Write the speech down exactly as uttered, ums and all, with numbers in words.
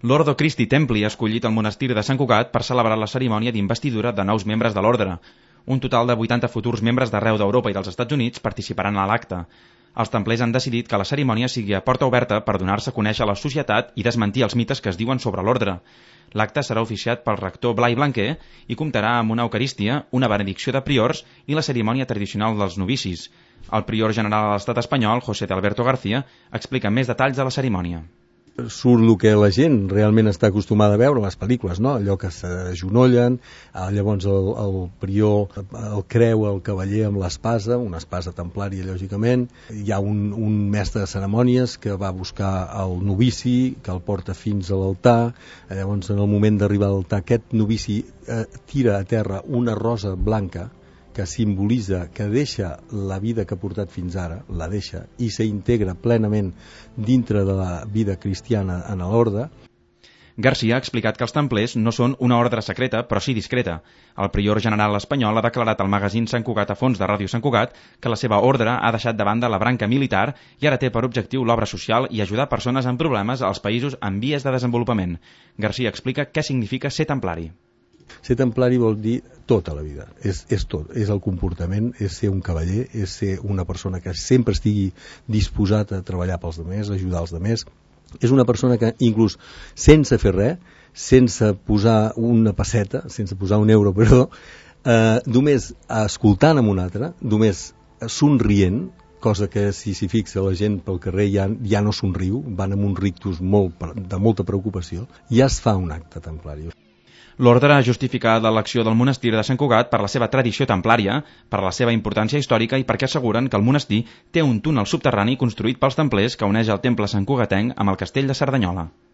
L'Ordo Christi Templi ha escollit el monestir de Sant Cugat per celebrar la cerimònia d'investidura de nous membres de l'ordre. Un total de vuitanta futurs membres d'arreu d'Europa i dels Estats Units participaran a l'acte. Els templers han decidit que la cerimònia sigui a porta oberta per donar-se a conèixer a la societat i desmentir els mites que es diuen sobre l'ordre. L'acte serà oficiat pel rector Blai Blanquer i comptarà amb una eucarístia, una benedicció de priors i la cerimònia tradicional dels novicis. El prior general de l'estat espanyol, José de Alberto García, explica més detalls de la cerimònia. Surt el que la gent realment està acostumada a veure a les pel·lícules, no? Allò que s'agenollen, llavors el, el prior el creu el cavaller amb l'espasa, una espasa templària lògicament, hi ha un, un mestre de cerimònies que va buscar el novici, que el porta fins a l'altar, llavors en el moment d'arribar a l'altar aquest novici eh, tira a terra una rosa blanca que simbolitza, que deixa la vida que ha portat fins ara, la deixa, i s'integra plenament dintre de la vida cristiana en l'orde. García ha explicat que els templers no són una ordre secreta, però sí discreta. El prior general espanyol ha declarat al magazín Sant Cugat a fons de Ràdio Sant Cugat que la seva ordre ha deixat de banda la branca militar i ara té per objectiu l'obra social i ajudar persones amb problemes als països en vies de desenvolupament. García explica què significa ser templari. Ser templari vol dir tota la vida, és, és tot, és el comportament, és ser un cavaller, és ser una persona que sempre estigui disposat a treballar pels demés, a ajudar els demés. És una persona que inclús sense fer res, sense posar una pesseta, sense posar un euro, perdó, eh, només escoltant amb un altre, només somrient, cosa que si s'hi fixa la gent pel carrer ja, ja no somriu, van amb un rictus molt, de molta preocupació, ja es fa un acte templari. L'ordre ha justificat l'elecció del monestir de Sant Cugat per la seva tradició templària, per la seva importància històrica i perquè asseguren que el monestir té un túnel subterrani construït pels templers que uneix el temple santcugatenc amb el castell de Cerdanyola.